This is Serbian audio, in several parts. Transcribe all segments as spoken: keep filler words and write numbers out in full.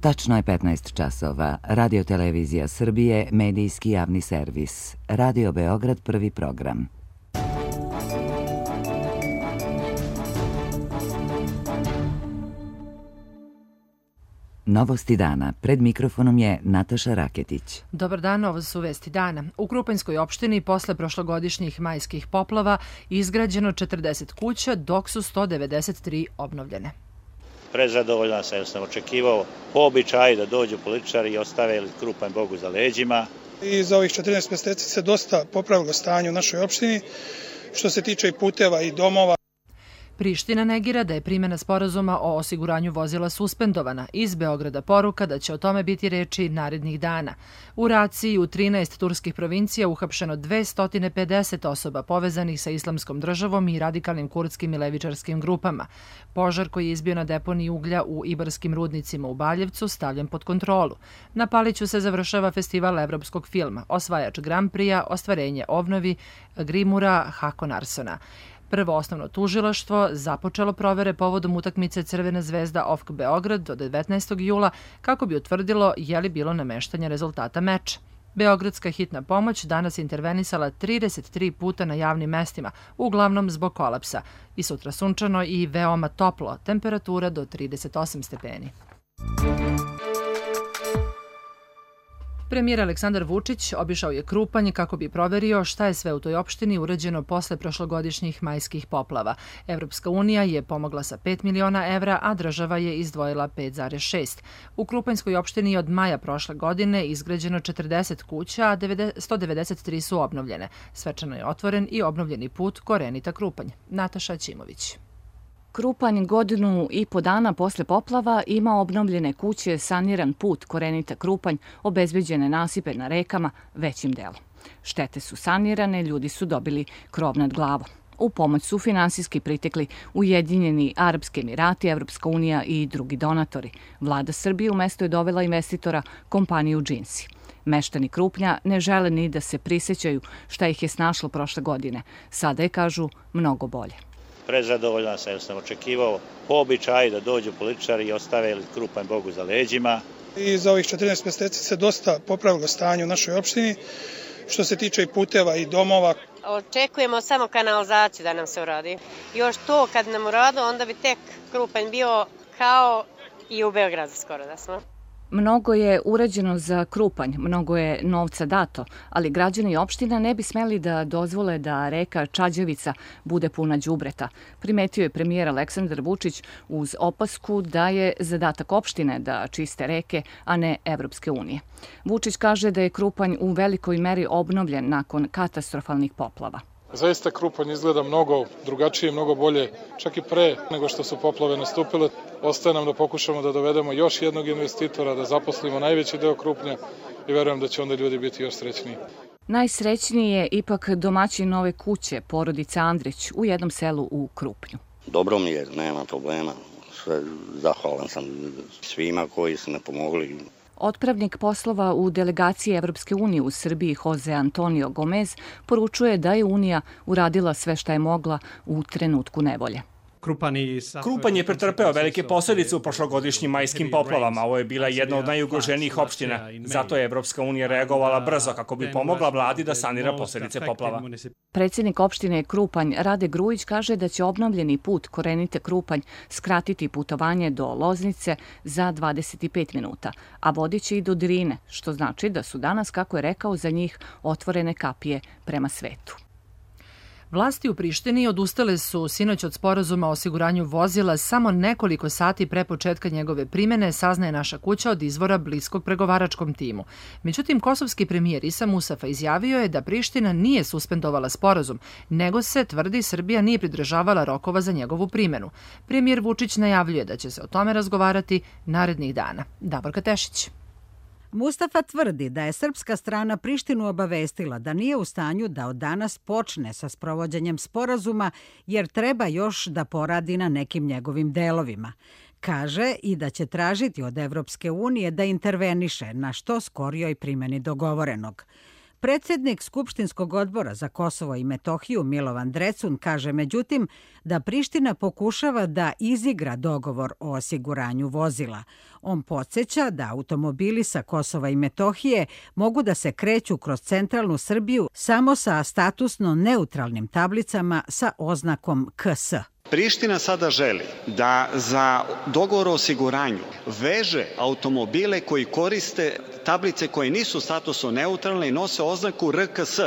Tačno je petnaest časova. Radio Televizija Srbije, medijski javni servis. Radio Beograd, prvi program. Novosti dana. Pred mikrofonom je Nataša Raketić. Dobar dan, ovo su vesti dana. U Krupanjskoj opštini posle prošlogodišnjih majskih poplava izgrađeno četrdeset kuća, dok su sto devedeset tri obnovljene. Prezadovoljan sam jer sam očekivao po običaju da dođu političari i ostave Krupanj Bogu za leđima. I za ovih četrnaest mjeseci se dosta popravilo stanje u našoj opštini, što se tiče i puteva i domova. Priština negira da je primjena sporazuma o osiguranju vozila suspendovana. Iz Beograda poruka da će o tome biti reči narednih dana. U raciji u trinaest turskih provincija uhapšeno dvesta pedeset osoba povezanih sa Islamskom državom i radikalnim kurdskim i levičarskim grupama. Požar koji je izbio na deponiji uglja u Ibarskim rudnicima u Baljevcu stavljen pod kontrolu. Na Paliću se završava festival evropskog filma, osvajač Grand Prix-a, ostvarenje obnovi Grimura Hakonarsona. Prvo osnovno tužilaštvo započelo provere povodom utakmice Crvena zvezda O F K Beograd do devetnaestog jula kako bi utvrdilo je li bilo nameštanja rezultata meča. Beogradska hitna pomoć danas je intervenisala trideset tri puta na javnim mestima, uglavnom zbog kolapsa. I sutra sunčano i veoma toplo, temperatura do trideset osam stepeni. Premijer Aleksandar Vučić obišao je Krupanj kako bi proverio šta je sve u toj opštini urađeno posle prošlogodišnjih majskih poplava. Evropska unija je pomogla sa pet miliona evra, a država je izdvojila pet zarez šest. U Krupanjskoj opštini od maja prošle godine izgrađeno četrdeset kuća, a sto devedeset tri su obnovljene. Svečano je otvoren i obnovljeni put Korenita Krupanj. Nataša Ćimović. Krupanj godinu i po dana posle poplava ima obnovljene kuće, saniran put Korenita Krupanj, obezbeđene nasipe na rekama većim delom. Štete su sanirane, ljudi su dobili krov nad glavom. U pomoć su finansijski pritekli Ujedinjeni Arapski Emirati, Evropska unija i drugi donatori. Vlada Srbije u mesto je dovela investitora kompaniju Džinsi. Meštani Krupnja ne žele ni da se prisećaju šta ih je snašlo prošle godine. Sada je, kažu, mnogo bolje. Prezadovoljan sam jer sam očekivao po običaju da dođu političari i ostave Krupanj Bogu za leđima. I za ovih četrnaest mjeseci se dosta popravilo stanje u našoj opštini, što se tiče i puteva i domova. Očekujemo samo kanalizaciju da nam se uradi. Još to kad nam uradi, onda bi tek Krupanj bio kao i u Beogradu skoro da smo. Mnogo je urađeno za Krupanj, mnogo je novca dato, ali građani opština ne bi smeli da dozvole da reka Čađavica bude puna đubreta. Primetio je premijer Aleksandar Vučić uz opasku da je zadatak opštine da čiste reke, a ne Evropske unije. Vučić kaže da je Krupanj u velikoj meri obnovljen nakon katastrofalnih poplava. Zaista Krupanj izgleda mnogo drugačije, mnogo bolje, čak i pre nego što su poplave nastupile. Ostaje nam da pokušamo da dovedemo još jednog investitora, da zaposlimo najveći deo Krupnja i verujem da će onda ljudi biti još srećniji. Najsrećniji je ipak domaćin nove kuće, porodica Andrić, u jednom selu u Krupnju. Dobro mi je, nema problema. Sve zahvalan sam svima koji su me pomogli. Otpravnik poslova u delegaciji Evropske unije u Srbiji Jose Antonio Gomez poručuje da je Unija uradila sve šta je mogla u trenutku nevolje. Krupanj je pretrpeo velike posljedice u prošlogodišnjim majskim poplavama. Ovo je bila jedna od najugroženijih opština. Zato je Evropska unija reagovala brzo kako bi pomogla vladi da sanira posljedice poplava. Predsjednik opštine Krupanj Rade Grujić kaže da će obnovljeni put Korenite Krupanj skratiti putovanje do Loznice za dvadeset pet minuta, a vodiće i do Drine, što znači da su danas, kako je rekao, za njih otvorene kapije prema svetu. Vlasti u Prištini odustale su sinoć od sporazuma o osiguranju vozila samo nekoliko sati pre početka njegove primjene, saznaje Naša kuća od izvora bliskog pregovaračkom timu. Međutim, kosovski premijer Isa Musafa izjavio je da Priština nije suspendovala sporazum, nego se, tvrdi, Srbija nije pridržavala rokova za njegovu primjenu. Premijer Vučić najavljuje da će se o tome razgovarati narednih dana. Davorka Tešić. Mustafa tvrdi da je srpska strana Prištinu obavestila da nije u stanju da od danas počne sa sprovođenjem sporazuma jer treba još da poradi na nekim njegovim delovima. Kaže i da će tražiti od Evropske unije da interveniše na što skorijoj primjeni dogovorenog. Predsjednik Skupštinskog odbora za Kosovo i Metohiju Milovan Drecun kaže međutim da Priština pokušava da izigra dogovor o osiguranju vozila. On podsjeća da automobili sa Kosova i Metohije mogu da se kreću kroz centralnu Srbiju samo sa statusno neutralnim tablicama sa oznakom K S. Priština sada želi da za dogovor o osiguranju veže automobile koji koriste tablice koje nisu statusno neutralne i nose oznaku R K S,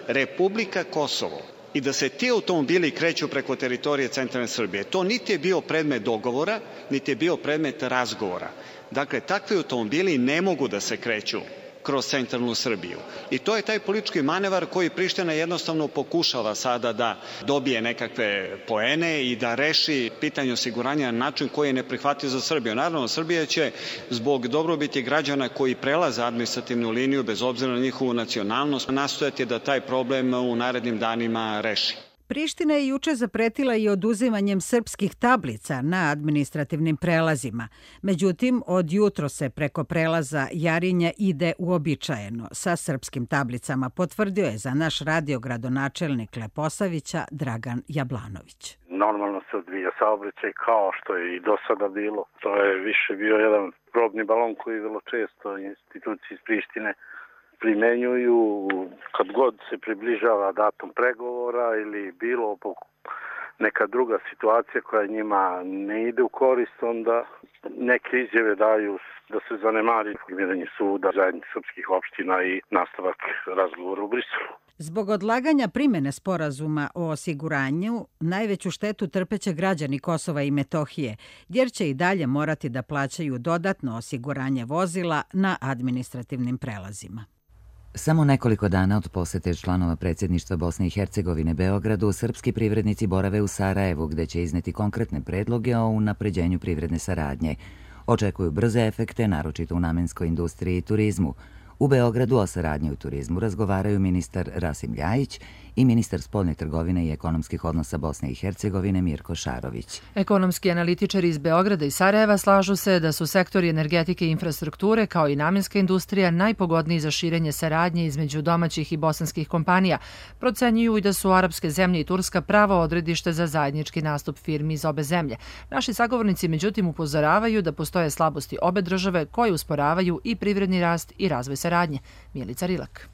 Republika Kosovo, i da se ti automobili kreću preko teritorije centralne Srbije. To niti je bio predmet dogovora, niti je bio predmet razgovora. Dakle, takvi automobili ne mogu da se kreću kroz centralnu Srbiju. I to je taj politički manevar koji Priština jednostavno pokušava sada da dobije nekakve poene i da reši pitanje osiguranja na način koji je neprihvatljiv za Srbiju. Naravno, Srbija će zbog dobrobiti građana koji prelaze administrativnu liniju, bez obzira na njihovu nacionalnost, nastojati da taj problem u narednim danima reši. Priština je juče zapretila i oduzimanjem srpskih tablica na administrativnim prelazima. Međutim, od jutro se preko prelaza Jarinja ide uobičajeno sa srpskim tablicama, potvrdio je za naš radio gradonačelnik Leposavića Dragan Jablanović. Normalno se odvija saobraćaj kao što je i do sada bilo. To je više bio jedan probni balon koji vrlo često institucije iz Prištine primenjuju kad god se približava datum pregovora ili bilo neka druga situacija koja njima ne ide u korist, onda neke izjave daju da se zanemari formiranje suda, zajednice srpskih opština i nastavak razgovora u Briselu. Zbog odlaganja primene sporazuma o osiguranju, najveću štetu trpeće građani Kosova i Metohije, jer će i dalje morati da plaćaju dodatno osiguranje vozila na administrativnim prelazima. Samo nekoliko dana od posete članova predsjedništva Bosne i Hercegovine Beogradu, srpski privrednici borave u Sarajevu, gde će izneti konkretne predloge o unapređenju privredne saradnje. Očekuju brze efekte, naročito u namenskoj industriji i turizmu. U Beogradu o saradnji u turizmu razgovaraju ministar Rasim Ljajić i ministar spoljne trgovine i ekonomskih odnosa Bosne i Hercegovine Mirko Šarović. Ekonomski analitičari iz Beograda i Sarajeva slažu se da su sektori energetike i infrastrukture kao i namenska industrija najpogodniji za širenje saradnje između domaćih i bosanskih kompanija. Procenjuju i da su arapske zemlje i Turska pravo odredište za zajednički nastup firmi iz obe zemlje. Naši sagovornici međutim upozoravaju da postoje slabosti obe države koje usporavaju i privredni rast i razvoj saradnje. Milica Rilak.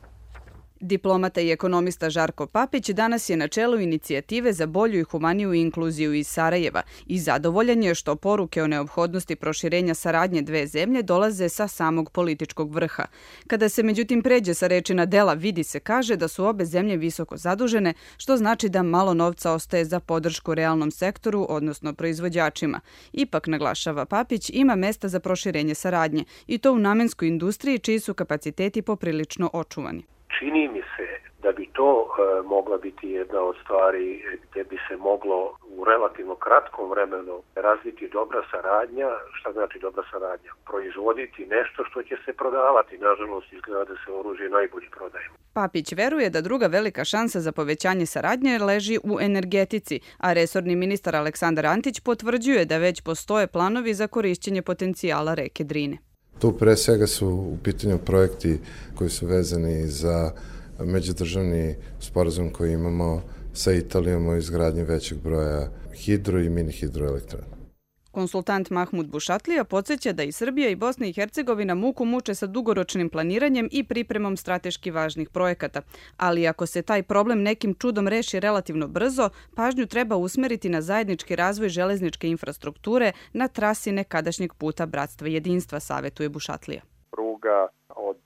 Diplomata i ekonomista Žarko Papić danas je na čelu inicijative za bolju i humaniju inkluziju iz Sarajeva i zadovoljan je što poruke o neophodnosti proširenja saradnje dve zemlje dolaze sa samog političkog vrha. Kada se međutim pređe sa reči na dela, vidi se kaže da su obe zemlje visoko zadužene, što znači da malo novca ostaje za podršku realnom sektoru, odnosno proizvođačima. Ipak, naglašava Papić, ima mesta za proširenje saradnje i to u namenskoj industriji čiji su kapaciteti poprilično očuvani. Čini mi se da bi to e, mogla biti jedna od stvari gdje bi se moglo u relativno kratkom vremenu razviti dobra saradnja. Šta znači dobra saradnja? Proizvoditi nešto što će se prodavati. Nažalost, izgleda da se oružje najbolje prodaje. Papić veruje da druga velika šansa za povećanje saradnje leži u energetici, a resorni ministar Aleksandar Antić potvrđuje da već postoje planovi za korišćenje potencijala reke Drine. Tu pre svega su u pitanju projekti koji su vezani za međudržavni sporazum koji imamo sa Italijom o izgradnji većeg broja hidro i mini hidroelektrana. Konsultant Mahmud Bušatlija podsjeća da i Srbija i Bosna i Hercegovina muku muče sa dugoročnim planiranjem i pripremom strateški važnih projekata. Ali ako se taj problem nekim čudom reši relativno brzo, pažnju treba usmeriti na zajednički razvoj železničke infrastrukture na trasi nekadašnjeg puta Bratstva i jedinstva, savetuje Bušatlija. Pruga od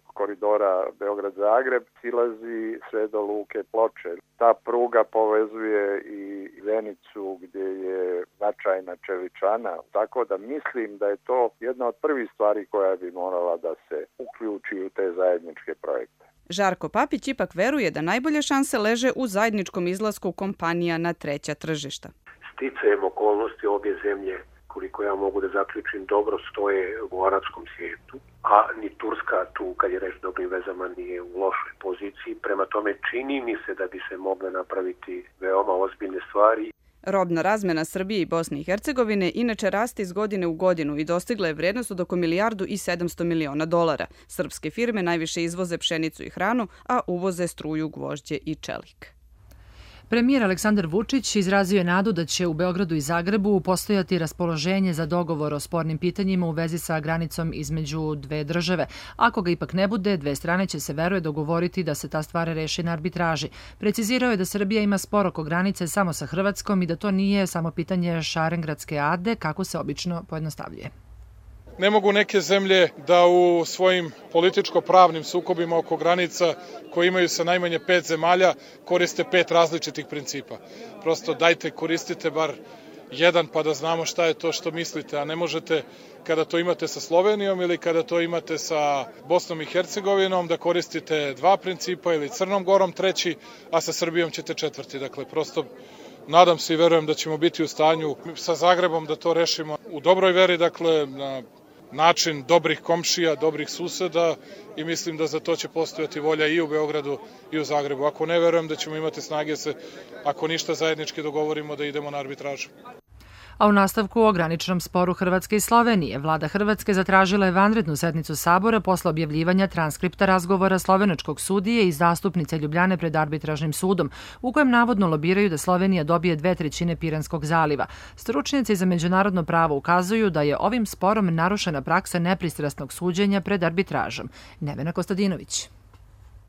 koridora Beograd-Zagreb silazi sve do luke Ploče. Ta pruga povezuje i Zenicu gdje je značajna čeličana, tako da mislim da je to jedna od prvih stvari koja bi morala da se uključi u te zajedničke projekte. Žarko Papić ipak veruje da najbolje šanse leže u zajedničkom izlasku kompanija na treća tržišta. Sticajem okolnosti obje zemlje, koliko ja mogu da zaključim, dobro stoje u arapskom svijetu, a ni Turska tu, kad je reč dobrim vezama, nije u lošoj poziciji. Prema tome, čini mi se da bi se mogle napraviti veoma ozbiljne stvari. Robna razmena Srbije i Bosne i Hercegovine inače raste iz godine u godinu i dostigla je vrednost od oko milijardu i sedamsto miliona dolara. Srpske firme najviše izvoze pšenicu i hranu, a uvoze struju, gvožđe i čelik. Premijer Aleksandar Vučić izrazio je nadu da će u Beogradu i Zagrebu postojati raspoloženje za dogovor o spornim pitanjima u vezi sa granicom između dve države. Ako ga ipak ne bude, dve strane će se, veruje, dogovoriti da se ta stvar reši na arbitraži. Precizirao je da Srbija ima spor oko granice samo sa Hrvatskom i da to nije samo pitanje Šarengradske ade, kako se obično pojednostavljuje. Ne mogu neke zemlje da u svojim političko-pravnim sukobima oko granica koji imaju sa najmanje pet zemalja koriste pet različitih principa. Prosto dajte, koristite bar jedan pa da znamo šta je to što mislite, a ne možete kada to imate sa Slovenijom ili kada to imate sa Bosnom i Hercegovinom da koristite dva principa ili Crnom Gorom treći, a sa Srbijom ćete četvrti. Dakle, prosto nadam se i verujem da ćemo biti u stanju sa Zagrebom da to rešimo u dobroj veri, dakle, na način dobrih komšija, dobrih suseda i mislim da za to će postojati volja i u Beogradu i u Zagrebu. Ako ne, verujem da ćemo imati snage se, ako ništa zajednički dogovorimo, da idemo na arbitražu. A u nastavku o graničnom sporu Hrvatske i Slovenije, vlada Hrvatske zatražila je vanrednu sednicu Sabora posle objavljivanja transkripta razgovora slovenačkog sudije i zastupnice Ljubljane pred arbitražnim sudom, u kojem navodno lobiraju da Slovenija dobije dve trećine Piranskog zaliva. Stručnjaci za međunarodno pravo ukazuju da je ovim sporom narušena praksa nepristrasnog suđenja pred arbitražom. Nevena Kostadinović.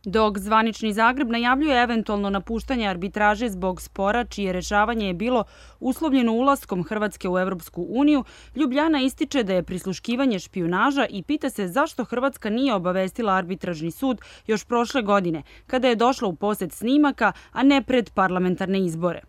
Dok zvanični Zagreb najavljuje eventualno napuštanje arbitraže zbog spora čije rešavanje je bilo uslovljeno ulaskom Hrvatske u Evropsku uniju, Ljubljana ističe da je prisluškivanje špijunaža i pita se zašto Hrvatska nije obavestila arbitražni sud još prošle godine, kada je došla u posed snimaka, a ne pred parlamentarne izbore.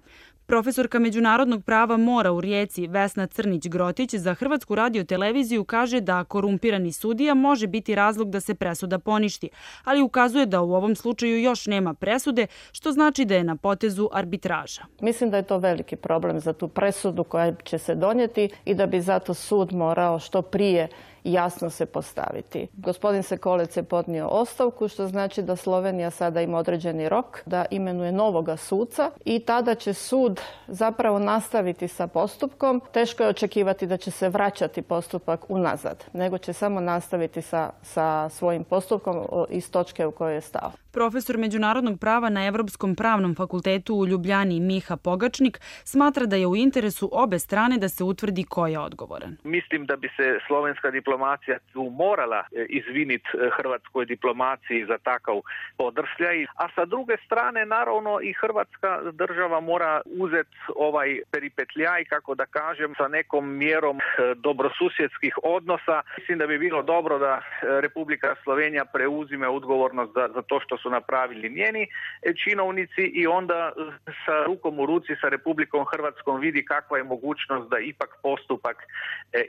Profesorka međunarodnog prava mora u Rijeci Vesna Crnić-Grotić za Hrvatsku radioteleviziju kaže da korumpirani sudija može biti razlog da se presuda poništi, ali ukazuje da u ovom slučaju još nema presude, što znači da je na potezu arbitraža. Mislim da je to veliki problem za tu presudu koja će se donijeti i da bi zato sud morao što prije jasno se postaviti. Gospodin Sekolec je podnio ostavku, što znači da Slovenija sada ima određeni rok da imenuje novoga suca i tada će sud zapravo nastaviti sa postupkom. Teško je očekivati da će se vraćati postupak unazad, nego će samo nastaviti sa, sa svojim postupkom iz točke u kojoj je stao. Profesor međunarodnog prava na Evropskom pravnom fakultetu u Ljubljani Miha Pogačnik smatra da je u interesu obe strane da se utvrdi ko je odgovoran. Mislim da bi se slovenska diplomacija tu morala izviniti hrvatskoj diplomaciji za takav podrsljaj, a sa druge strane naravno i hrvatska država mora uzeti ovaj peripetljaj, kako da kažem, sa nekom mjerom dobrosusjedskih odnosa. Mislim da bi bilo dobro da Republika Slovenija preuzime odgovornost za, za to što su napravili njeni činovnici i onda sa rukom u ruci sa Republikom Hrvatskom vidi kakva je mogućnost da ipak postupak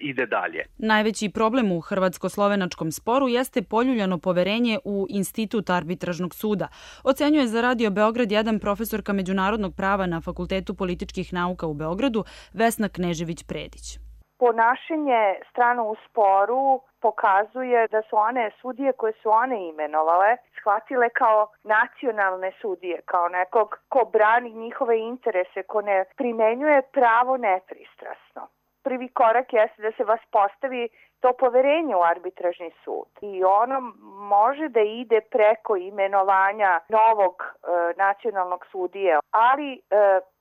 ide dalje. Najveći problem u hrvatsko-slovenačkom sporu jeste poljuljano poverenje u Institut arbitražnog suda. Ocenjuje za Radio Beograd jedan profesorka međunarodnog prava na Fakultetu političkih nauka u Beogradu Vesna Knežević-Predić. Ponašanje strana u sporu pokazuje da su one sudije koje su one imenovale shvatile kao nacionalne sudije, kao nekog ko brani njihove interese, ko ne primenjuje pravo nepristrasno. Prvi korak jeste da se vas postavi to poverenje u arbitražni sud i ono može da ide preko imenovanja novog e, nacionalnog sudije, ali e,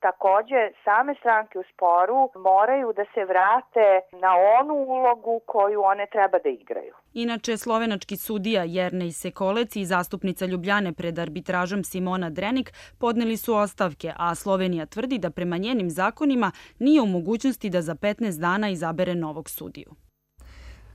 takođe same stranke u sporu moraju da se vrate na onu ulogu koju one treba da igraju. Inače, slovenački sudija Jernej Sekolec i zastupnica Ljubljane pred arbitražom Simona Drenik podneli su ostavke, a Slovenija tvrdi da prema njenim zakonima nije u mogućnosti da za petnaest dana izabere novog sudiju.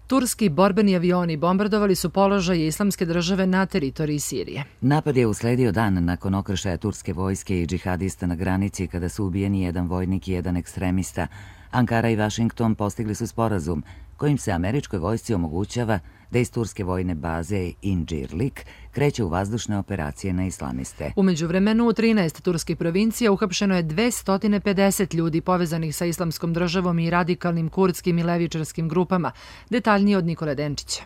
Turski borbeni avioni bombardovali su položaje Islamske države na teritoriji Sirije. Napad je usledio dan nakon okršaja turske vojske i džihadista na granici kada su ubijeni jedan vojnik i jedan ekstremista. Ankara i Vašington postigli su sporazum kojim se američkoj vojsci omogućava da iz turske vojne baze Incirlik kreće u vazdušne operacije na islamiste. U međuvremenu u trinaest turskih provincija uhapšeno je dvesta pedeset ljudi povezanih sa Islamskom državom i radikalnim kurdskim i levičarskim grupama. Detaljnije od Nikole Denčića.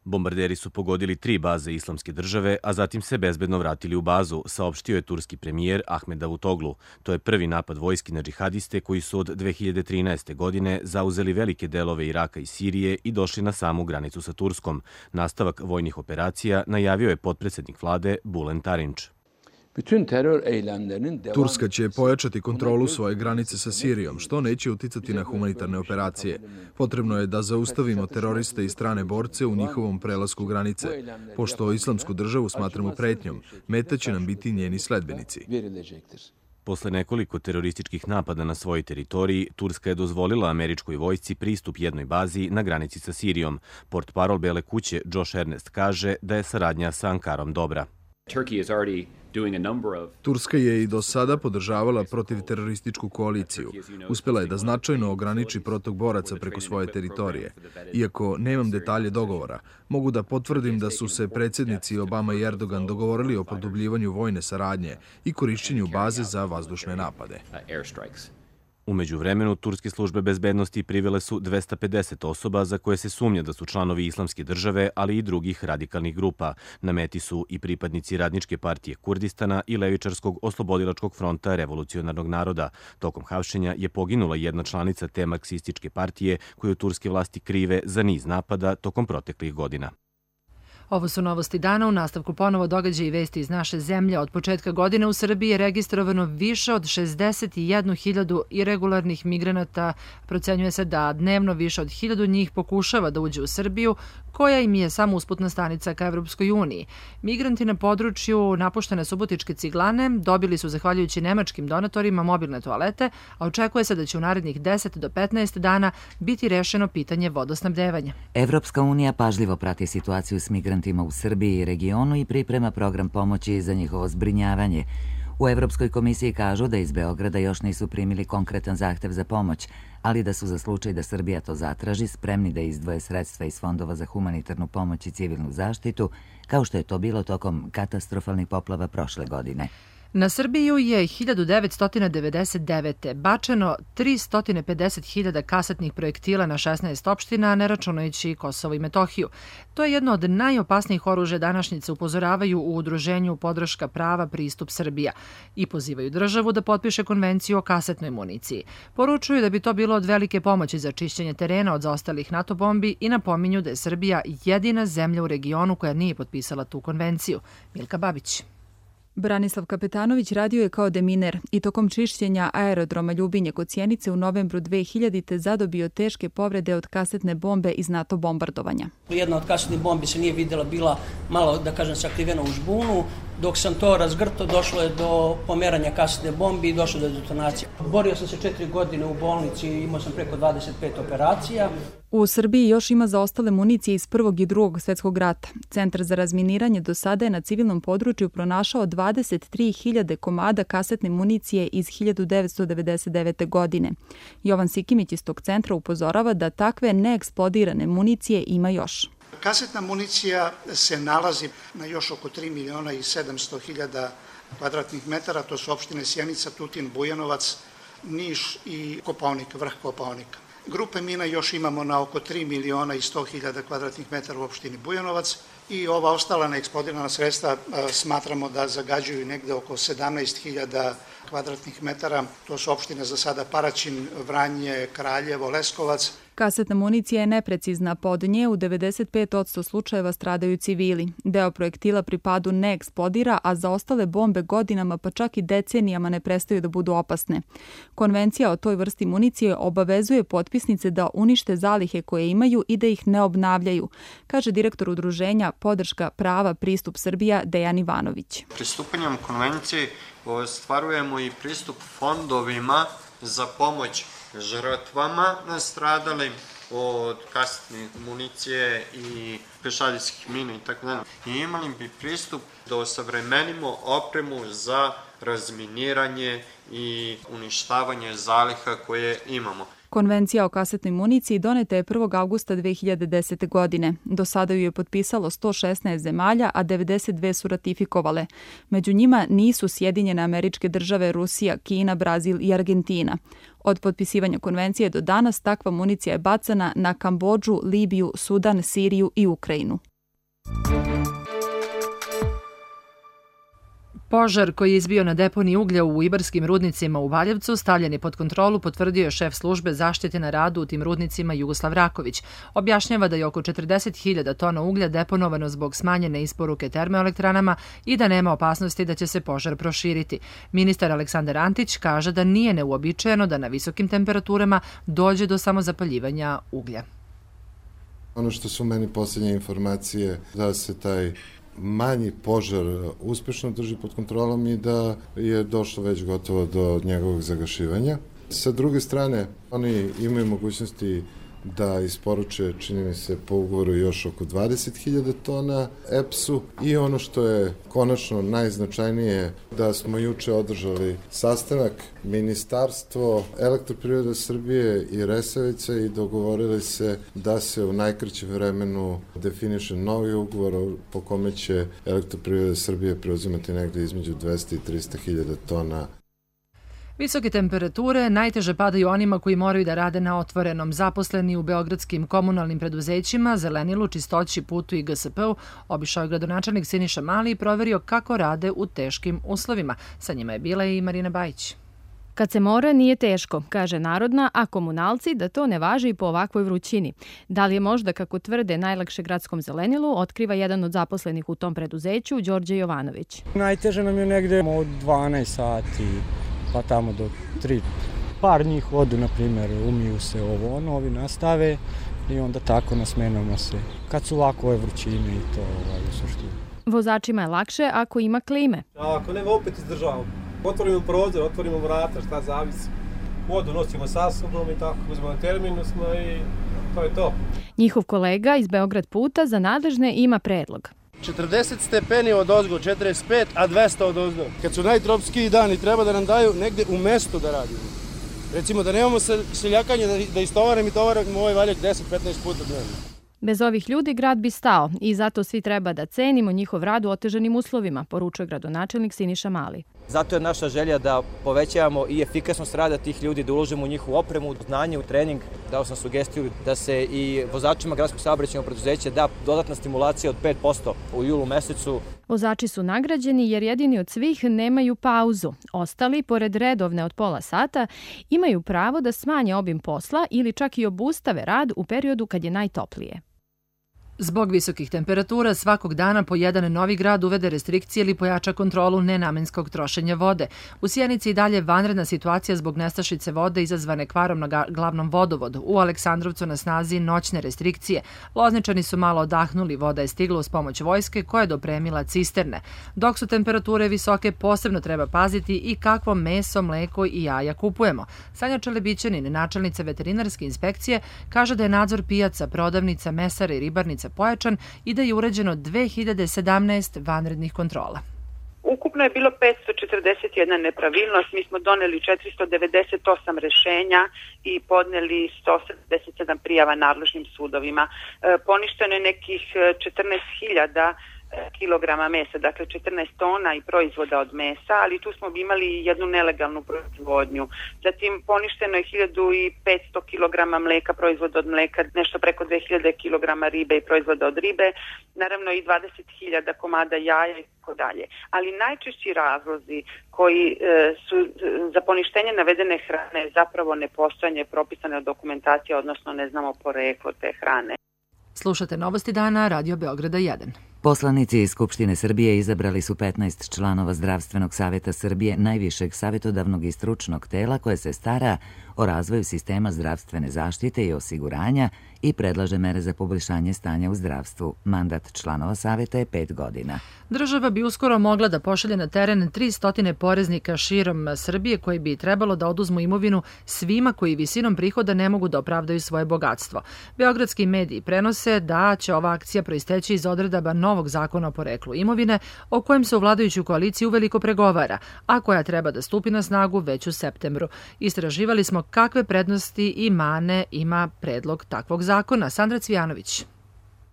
Bombarderi su pogodili tri baze Islamske države, a zatim se bezbedno vratili u bazu, saopštio je turski premijer Ahmed Davutoglu. To je prvi napad vojski na džihadiste koji su od dve hiljade trinaeste. godine zauzeli velike delove Iraka i Sirije i došli na samu granicu sa Turskom. Nastavak vojnih operacija najavio je potpredsednik vlade Bulen Tarinč. Turska će pojačati kontrolu svoje granice sa Sirijom, što neće uticati na humanitarne operacije. Potrebno je da zaustavimo teroriste i strane borce u njihovom prelasku granice. Pošto Islamsku državu smatramo pretnjom, meta će nam biti njeni sledbenici. Posle nekoliko terorističkih napada na svojoj teritoriji, Turska je dozvolila američkoj vojsci pristup jednoj bazi na granici sa Sirijom. Portparol Bele kuće Josh Ernest kaže da je saradnja sa Ankarom dobra. Turska je i do sada podržavala protivterorističku koaliciju. Uspela je da značajno ograniči protok boraca preko svoje teritorije. Iako nemam detalje dogovora, mogu da potvrdim da su se predsjednici Obama i Erdogan dogovorili o produbljivanju vojne saradnje i korišćenju baze za vazdušne napade. Umeđu vremenu, turske službe bezbednosti privele su dvesta pedeset osoba za koje se sumnja da su članovi Islamske države, ali i drugih radikalnih grupa. Na meti su i pripadnici Radničke partije Kurdistana i Levičarskog oslobodilačkog fronta revolucionarnog naroda. Tokom hapšenja je poginula jedna članica te marksističke partije koju turske vlasti krive za niz napada tokom proteklih godina. Ovo su novosti dana. U nastavku ponovo događaji i vesti iz naše zemlje. Od početka godine u Srbiji je registrovano više od šezdeset jednu hiljadu irregularnih migranata. Procenjuje se da dnevno više od hiljadu njih pokušava da uđe u Srbiju, koja im je samo usputna stanica ka Evropskoj uniji. Migranti na području napuštene Subotičke Ciglane dobili su, zahvaljujući nemačkim donatorima, mobilne toalete, a očekuje se da će u narednih deset do petnaest dana biti rešeno pitanje vodosnabdevanja. Evropska unija pažljivo prati situaciju s migrantima u Srbiji i regionu i priprema program pomoći za njihovo zbrinjavanje. U Evropskoj komisiji kažu da iz Beograda još nisu primili konkretan zahtev za pomoć, ali da su za slučaj da Srbija to zatraži spremni da izdvoje sredstva iz fondova za humanitarnu pomoć i civilnu zaštitu, kao što je to bilo tokom katastrofalnih poplava prošle godine. Na Srbiju je hiljadu devetsto devedeset devete. bačeno tristo pedeset hiljada kasetnih projektila na šesnaest opština, ne računajući Kosovo i Metohiju. To je jedno od najopasnijih oružja današnjice, upozoravaju u udruženju Podrška prava pristup Srbija i pozivaju državu da potpiše konvenciju o kasetnoj municiji. Poručuju da bi to bilo od velike pomoći za čišćenje terena od zaostalih NATO bombi i napominju da je Srbija jedina zemlja u regionu koja nije potpisala tu konvenciju. Milka Babić. Branislav Kapetanović radio je kao deminer i tokom čišćenja aerodroma Ljubinje kod Sjenice u novembru dve hiljadite zadobio teške povrede od kasetne bombe iz NATO bombardovanja. Jedna od kasetnih bombi se nije vidjela, bila malo, da kažem, sakrivena u žbunu. Dok sam to razgrto, došlo je do pomeranja kasetne bombi i došlo do detonacije. Borio sam se četiri godine u bolnici, imao sam preko dvadeset pet operacija. U Srbiji još ima zaostale municije iz Prvog i Drugog svjetskog rata. Centar za razminiranje do sada je na civilnom području pronašao dvadeset tri hiljade komada kasetne municije iz hiljadu devetsto devedeset devete. godine. Jovan Sikimić iz tog centra upozorava da takve neeksplodirane municije ima još. Kasetna municija se nalazi na još oko tri miliona i sedamsto hiljada kvadratnih metara, to su opštine Sjenica, Tutin, Bujanovac, Niš i Kopaonik, vrh Kopaonika. Grupe mina još imamo na oko tri miliona i sto hiljada kvadratnih metara u opštini Bujanovac i ova ostala neeksplodirana sredstva smatramo da zagađuju negde oko sedamnaest hiljada kvadratnih metara. To su opštine za sada Paraćin, Vranje, Kraljevo, Leskovac. Kasetna municija je neprecizna, pa od nje u devedeset pet posto slučajeva stradaju civili. Deo projektila pri padu ne eksplodira, a za ostale bombe godinama pa čak i decenijama ne prestaju da budu opasne. Konvencija o toj vrsti municije obavezuje potpisnice da unište zalihe koje imaju i da ih ne obnavljaju, kaže direktor udruženja Podrška prava pristup Srbija Dejan Ivanović. Pristupanjem konvenciji ostvarujemo i pristup fondovima za pomoć žrtvama nastradalim od kasetne municije i pešadijskih mina i tako dalje. I imali bi pristup da osavremenimo opremu za razminiranje i uništavanje zaliha koje imamo. Konvencija o kasetnoj municiji doneta je prvog avgusta dve hiljade desete. godine. Do sada ju je potpisalo sto šesnaest zemalja, a devedeset dve su ratifikovale. Među njima nisu Sjedinjene Američke Države, Rusija, Kina, Brazil i Argentina. Od potpisivanja konvencije do danas takva municija je bacana na Kambodžu, Libiju, Sudan, Siriju i Ukrajinu. Požar koji je izbio na deponiji uglja u Ibarskim rudnicima u Valjevcu stavljen je pod kontrolu, potvrdio je šef službe zaštite na radu u tim rudnicima Jugoslav Raković. Objašnjava da je oko četrdeset hiljada tona uglja deponovano zbog smanjene isporuke termoelektranama i da nema opasnosti da će se požar proširiti. Ministar Aleksandar Antić kaže da nije neuobičajeno da na visokim temperaturama dođe do samozapaljivanja uglja. Ono što su meni posljednje informacije da se taj manji požar uspešno drži pod kontrolom i da je došlo već gotovo do njegovog zagašivanja. Sa druge strane, oni imaju mogućnosti da isporuče, čini mi se, po ugovoru još oko dvadeset hiljada tona E P S-u i ono što je konačno najznačajnije da smo juče održali sastanak Ministarstvo Elektroprivrede Srbije i Resavica i dogovorili se da se u najkraćem vremenu definiše novi ugovor po kome će Elektroprivreda Srbije preuzimati negde između dvesta i trista hiljada tona. Visoke temperature najteže padaju onima koji moraju da rade na otvorenom. Zaposleni u beogradskim komunalnim preduzećima, zelenilu, čistoći, putu i G S P-u, obišao je gradonačelnik Siniša Mali i proverio kako rade u teškim uslovima. Sa njima je bila i Marina Bajić. Kad se mora, nije teško, kaže narodna, a komunalci da to ne važi i po ovakvoj vrućini. Da li je možda, kako tvrde, najlakše gradskom zelenilu, otkriva jedan od zaposlenih u tom preduzeću, Đorđe Jovanović. Najteže nam je negde od dvanaest sati, pa tamo do tri. Par njih odu, na primjer, umiju se ovo, ono, ovi nastave i onda tako nasmenamo se. Kad su ovako ove vrućine i to ovaj, u suštini. Vozačima je lakše ako ima klime. Ako nema, opet izdržavamo. Otvorimo prozor, otvorimo vrata, šta zavisi. Vodu nosimo sa sobom i tako, uzmemo terminus i to je to. Njihov kolega iz Beograd puta za nadležne ima predlog. četrdeset stepeni od ozgo, četrdeset pet, a dvesta od ozgo. Kad su najtropskiji dani, treba da nam daju negde u mesto da radimo. Recimo da nemamo seljakanje, da istovaram i tovaram ovaj valjak deset do petnaest puta dnevno. Bez ovih ljudi grad bi stao i zato svi treba da cenimo njihov rad u otežanim uslovima, poručuje gradonačelnik Siniša Mali. Zato je naša želja da povećavamo i efikasnost rada tih ljudi, da uložimo u njihovu opremu, znanje, u trening. Dao sam sugestiju da se i vozačima gradskog saobraćajnog preduzeća da dodatna stimulacija od pet posto u julu mesecu. Vozači su nagrađeni jer jedini od svih nemaju pauzu. Ostali, pored redovne od pola sata, imaju pravo da smanje obim posla ili čak i obustave rad u periodu kad je najtoplije. Zbog visokih temperatura svakog dana po jedan novi grad uvede restrikcije ili pojača kontrolu nenamenskog trošenja vode. U Sjenici i dalje vanredna situacija zbog nestašice vode izazvane kvarom na glavnom vodovodu. U Aleksandrovcu na snazi noćne restrikcije. Lozničani su malo odahnuli, voda je stigla uz pomoć vojske koja je dopremila cisterne. Dok su temperature visoke, posebno treba paziti i kakvo meso, mleko i jaja kupujemo. Sanja Čelebićanin, načelnica veterinarske inspekcije, kaže da je nadzor pijaca, prodavnica, mesara i ribarnica pojačan i da je urađeno dve hiljade sedamnaest vanrednih kontrola. Ukupno je bilo petsto četrdeset jedna nepravilnost, mi smo doneli četiristo devedeset osam rešenja i podneli sto sedamdeset sedam prijava nadležnim sudovima. E, poništeno je nekih četrnaest hiljada kilograma mesa, dakle četrnaest tona i proizvoda od mesa, ali tu smo imali jednu nelegalnu proizvodnju. Zatim poništeno je hiljadu petsto kilograma mleka, proizvoda od mleka, nešto preko dve hiljade kilograma ribe i proizvoda od ribe, naravno i dvadeset hiljada komada jaja i tako dalje. Ali najčešći razlozi koji e, su za poništenje navedene hrane zapravo nepostojanje propisane dokumentacije, odnosno ne znamo poreklo te hrane. Slušate Novosti dana, Radio Beograda jedan. Poslanici iz Skupštine Srbije izabrali su petnaest članova Zdravstvenog savjeta Srbije, najvišeg savjetodavnog i stručnog tela koje se stara o razvoju sistema zdravstvene zaštite i osiguranja i predlaže mere za poboljšanje stanja u zdravstvu. Mandat članova savjeta je pet godina. Država bi uskoro mogla da pošalje na teren tristo poreznika širom Srbije koji bi trebalo da oduzmu imovinu svima koji visinom prihoda ne mogu da opravdaju svoje bogatstvo. Beogradski mediji prenose da će ova akcija proisteći iz odredaba novog zakona o poreklu imovine, o kojem se u vladajuću koaliciju uveliko pregovara, a koja treba da stupi na snagu već u septembru. Istraživali smo kakve prednosti i mane ima predlog takvog zakona. Sandra Cvijanović.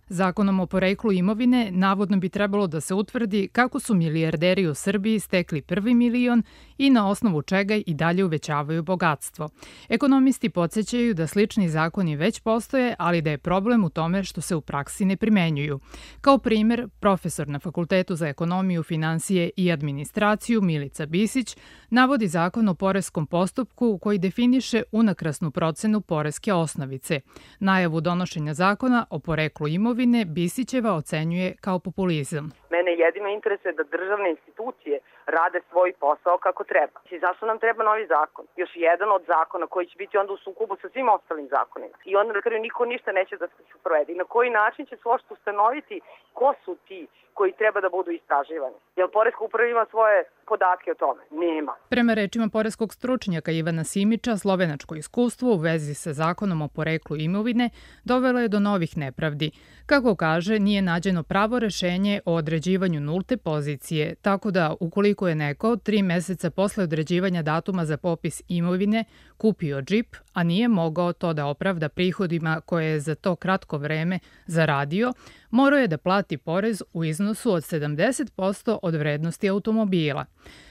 Zakonom o poreklu imovine navodno bi trebalo da se utvrdi kako su milijarderi u Srbiji stekli prvi milion i na osnovu čega i dalje uvećavaju bogatstvo. Ekonomisti podsjećaju da slični zakoni već postoje, ali da je problem u tome što se u praksi ne primenjuju. Kao primer, profesor na Fakultetu za ekonomiju, finansije i administraciju Milica Bisić navodi zakon o poreskom postupku koji definiše unakrasnu procenu poreske osnovice. Najavu donošenja zakona o poreklu imovine Bisićeva ocenjuje kao populizam. Mene jedino interesuje da državne institucije rade svoj posao kako treba. I zašto nam treba novi zakon? Još jedan od zakona koji će biti onda u sukobu sa svim ostalim zakonima. I onda na kraju niko ništa neće da se provede. I na koji način će se uopšte ustanoviti ko su ti koji treba da budu istraživani? Jer poreska uprava ima svoje podatke o tome? Nema. Prema rečima poreskog stručnjaka Ivana Simića, slovenačko iskustvo u vezi sa zakonom o poreklu imovine dovelo je do novih nepravdi. Kako kaže, nije nađeno pravo rešenje o određivanju nulte pozicije, tako da ukoliko je neko tri meseca posle određivanja datuma za popis imovine kupio džip, a nije mogao to da opravda prihodima koje je za to kratko vreme zaradio, morao je da plati porez u iznosu od sedamdeset posto od vrednosti automobila.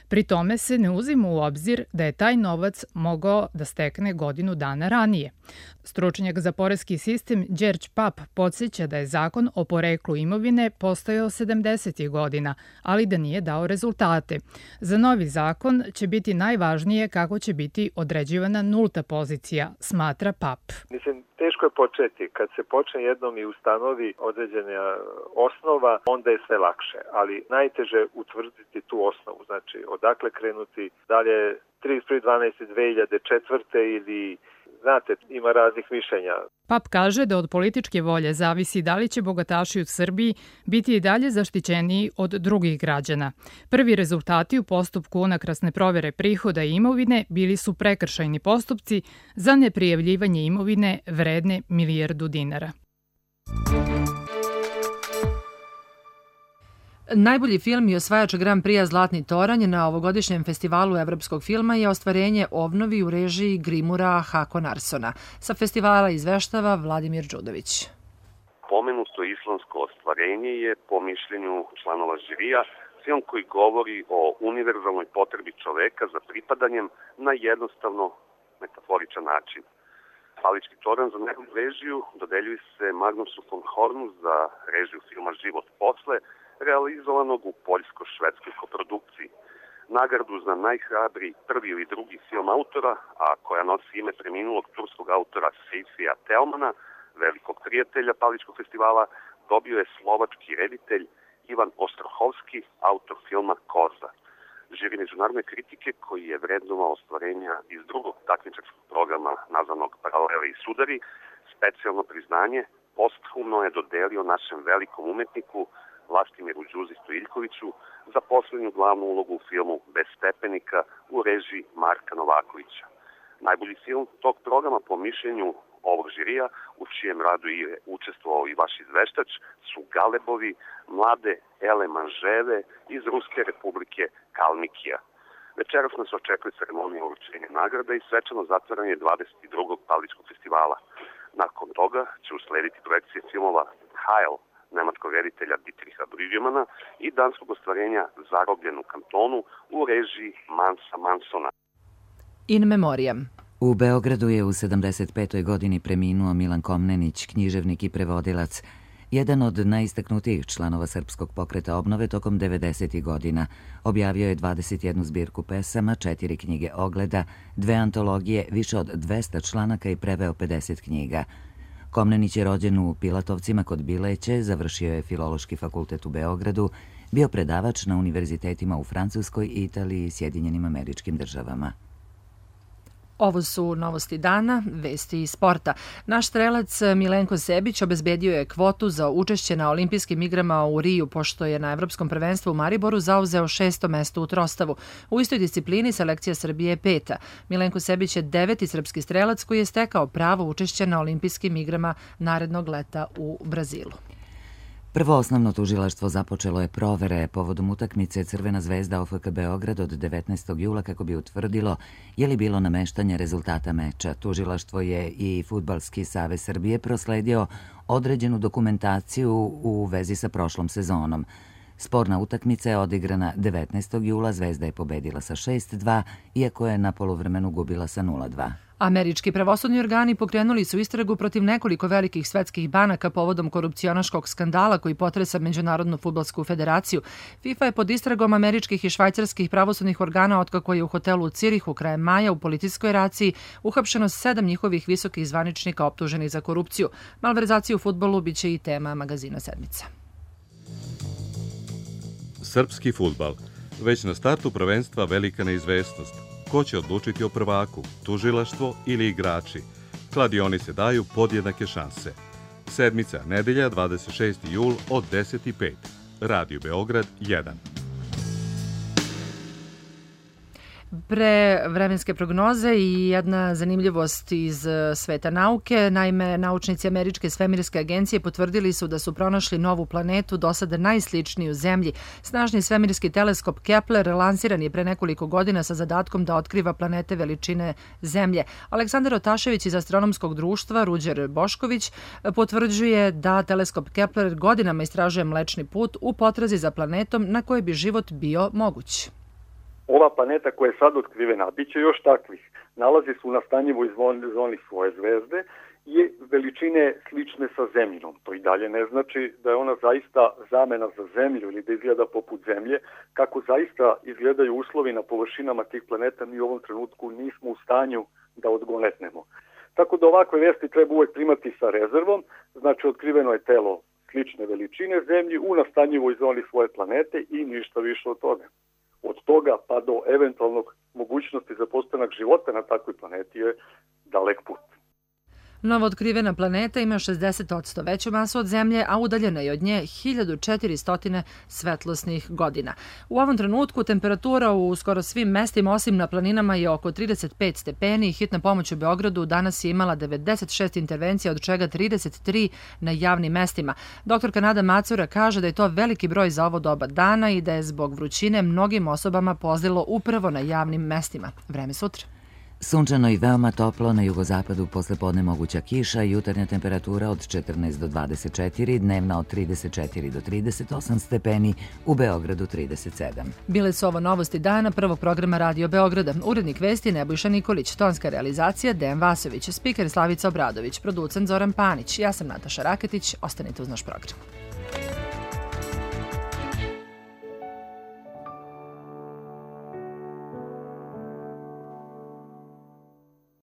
Pri tome se ne uzima u obzir da je taj novac mogao da stekne godinu dana ranije. Stručnjak za poreski sistem Đerđ Pap podsjeća da je zakon o poreklu imovine postojao sedamdesetih godina, ali da nije dao rezultate. Za novi zakon će biti najvažnije kako će biti određivana nulta pozicija, smatra Pap. Mislim, teško je početi. Kad se počne jednom i ustanovi određena osnova, onda je sve lakše, ali najteže utvrditi tu osnovu. Znači, odakle krenuti, da li je trideset prvi decembar dve hiljade četvrte ili, znate, ima raznih mišljenja. Pap kaže da od političke volje zavisi da li će bogataši u Srbiji biti i dalje zaštićeniji od drugih građana. Prvi rezultati u postupku unakrasne provere prihoda i imovine bili su prekršajni postupci za neprijavljivanje imovine vredne milijardu dinara. Najbolji film i osvajač Grand Prix Zlatni toranj na ovogodišnjem festivalu evropskog filma je ostvarenje Ovnovi u režiji Grimura Hakonarsona. Sa festivala izveštava Vladimir Đudović. Pomenuto islamsko ostvarenje je, po mišljenju članova žirija, film koji govori o univerzalnoj potrebi čoveka za pripadanjem na jednostavno metaforičan način. Palički toranj za najbolju režiju dodeljuje se Magnusu von Hornu za režiju filma Život posle, realizovanog u poljsko-švedskoj koprodukciji. Nagradu za najhrabriji prvi ili drugi film autora, a koja nosi ime preminulog turskog autora Sejfija Telmana, velikog prijatelja Paličkog festivala, dobio je slovački reditelj Ivan Ostrohovski, autor filma Koza. Žiri međunarodne kritike koji je vrednovao ostvarenja iz drugog takmičarskog programa nazvanog Paralele i sudari, specijalno priznanje posthumno je dodelio našem velikom umetniku Vlastimiru Đuzi Stojiljkoviću za poslednju glavnu ulogu u filmu Bez stepenika u režiji Marka Novakovića. Najbolji film tog programa, po mišljenju ovog žirija, u čijem radu je učestvovao i vaš izveštač, su Galebovi, mlade Ele Manževe iz Ruske republike Kalmikija. Večeras nas očekuje ceremonija uručenja nagrada i svečano zatvaranje dvadeset drugog Paličkog festivala. Nakon toga će uslediti projekcije filmova Heil nemačkog reditelja Dietricha Brüggemana i danskog ostvarenja Zarobljen u kantonu u režiji Mansa Mansona. In memoriam. U Beogradu je u sedamdeset petoj godini preminuo Milan Komnenić, književnik i prevodilac, jedan od najistaknutijih članova Srpskog pokreta obnove tokom devedesetih godina. Objavio je dvadeset jednu zbirku pesama, četiri knjige ogleda, dve antologije, više od dvesta članaka i preveo pedeset knjiga. Komnenić je rođen u Pilatovcima kod Bileće, završio je Filološki fakultet u Beogradu, bio predavač na univerzitetima u Francuskoj, Italiji i Sjedinjenim Američkim Državama. Ovo su novosti dana, vesti iz sporta. Naš strelac Milenko Sebić obezbedio je kvotu za učešće na olimpijskim igrama u Riju, pošto je na Evropskom prvenstvu u Mariboru zauzeo šesto mesto u trostavu. U istoj disciplini selekcija Srbije je peta. Milenko Sebić je deveti srpski strelac koji je stekao pravo učešće na olimpijskim igrama narednog leta u Brazilu. Prvo osnovno tužilaštvo započelo je provere povodom utakmice Crvena zvezda O F K Beograd od devetnaestog jula kako bi utvrdilo je li bilo nameštanje rezultata meča. Tužilaštvo je i Fudbalski savez Srbije prosledio određenu dokumentaciju u vezi sa prošlom sezonom. Sporna utakmica je odigrana devetnaestog jula, Zvezda je pobedila sa šest dva, iako je na poluvremenu gubila sa nula dva. Američki pravosudni organi pokrenuli su istragu protiv nekoliko velikih svetskih banaka povodom korupcionaškog skandala koji potresa Međunarodnu fudbalsku federaciju. FIFA je pod istragom američkih i švajcarskih pravosudnih organa otkako je u hotelu u Cirihu krajem maja u policijskoj raciji uhapšeno sedam njihovih visokih zvaničnika optuženih za korupciju. Malverzacija u fudbalu biće i tema magazina Sedmica. Srpski fudbal. Već na startu prvenstva velika neizvesnost. Ko će odlučiti o prvaku, tužilaštvo ili igrači? Kladionice daju podjednake šanse. Sedmica, nedelja, dvadeset šesti jul od deset i pet. Radio Beograd jedan. Pre vremenske prognoze i jedna zanimljivost iz sveta nauke. Naime, naučnici Američke svemirske agencije potvrdili su da su pronašli novu planetu, do sada najsličniju Zemlji. Snažni svemirski teleskop Kepler lansiran je pre nekoliko godina sa zadatkom da otkriva planete veličine Zemlje. Aleksandar Otašević iz Astronomskog društva Ruđer Bošković potvrđuje da teleskop Kepler godinama istražuje Mlečni put u potrazi za planetom na kojoj bi život bio moguć. Ova planeta koja je sad otkrivena, bit će još takvih, nalazi se u nastanjivoj zoni svoje zvezde i veličine slične sa Zemljinom. To i dalje ne znači da je ona zaista zamena za Zemlju ili da izgleda poput Zemlje. Kako zaista izgledaju uslovi na površinama tih planeta, mi u ovom trenutku nismo u stanju da odgonetnemo. Tako da ovakve vesti treba uvek primati sa rezervom, znači otkriveno je telo slične veličine Zemlji u nastanjivoj zoni svoje planete i ništa više od toga. Od toga pa do eventualnog mogućnosti za postanak života na takvoj planeti je dalek put. Novo otkrivena planeta ima šezdeset posto veću masu od Zemlje, a udaljena je od nje hiljadu četiristo svetlosnih godina. U ovom trenutku temperatura u skoro svim mestima osim na planinama je oko trideset pet stepeni. Hitna pomoć u Beogradu danas je imala devedeset šest intervencija, od čega trideset tri na javnim mestima. Doktorka Nada Macura kaže da je to veliki broj za ovo doba dana i da je zbog vrućine mnogim osobama pozlilo upravo na javnim mestima. Vreme sutra. Sunčano i veoma toplo, na jugozapadu poslepodne moguća kiša, jutarnja temperatura od četrnaest do dvadeset četiri, dnevna od trideset četiri do trideset osam stepeni, u Beogradu trideset sedam. Bile su ovo novosti dana prvog programa Radio Beograda. Urednik vesti Nebojša Nikolić, tonska realizacija Dejan Vasović, spiker Slavica Obradović, producent Zoran Panić. Ja sam Nataša Raketić, ostanite uz naš program.